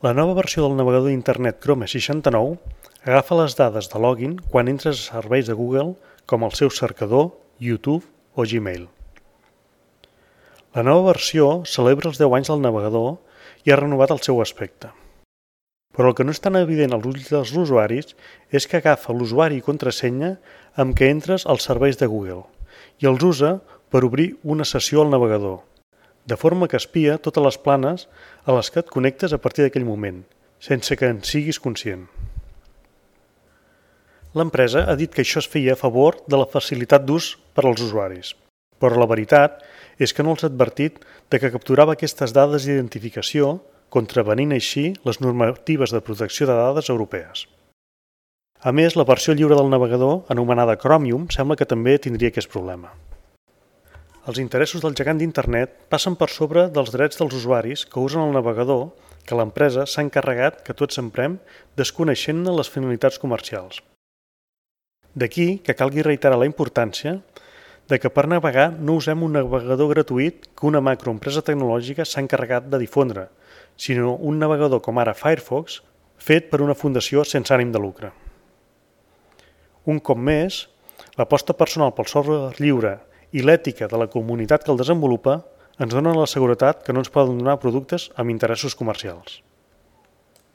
La nova versió del navegador d'internet Chrome 69 agafa les dades de login quan entres a serveis de Google com el seu cercador, YouTube o Gmail. La nova versió celebra els 10 anys del navegador i ha renovat el seu aspecte. Però el que no és tan evident als ulls dels usuaris és que agafa l'usuari i contrasenya amb què entres als serveis de Google i els usa per obrir una sessió al navegador, de forma que espia totes les planes a les que et connectes a partir d'aquell moment, sense que en siguis conscient. L'empresa ha dit que això es feia a favor de la facilitat d'ús per als usuaris, però la veritat és que no els ha advertit de que capturava aquestes dades d'identificació, contravenint així les normatives de protecció de dades europees. A més, la versió lliure del navegador, anomenada Chromium, sembla que també tindria aquest problema. Els interessos del gegant d'internet passen per sobre dels drets dels usuaris que usen el navegador que l'empresa s'ha encarregat que tots emprem desconeixent-ne les finalitats comercials. D'aquí que calgui reiterar la importància de que per navegar no usem un navegador gratuït que una macroempresa tecnològica s'ha encarregat de difondre, sinó un navegador com ara Firefox, fet per una fundació sense ànim de lucre. Un cop més, l'aposta personal pel software lliure i l'ètica de la comunitat que el desenvolupa ens donen la seguretat que no ens poden donar productes amb interessos comercials.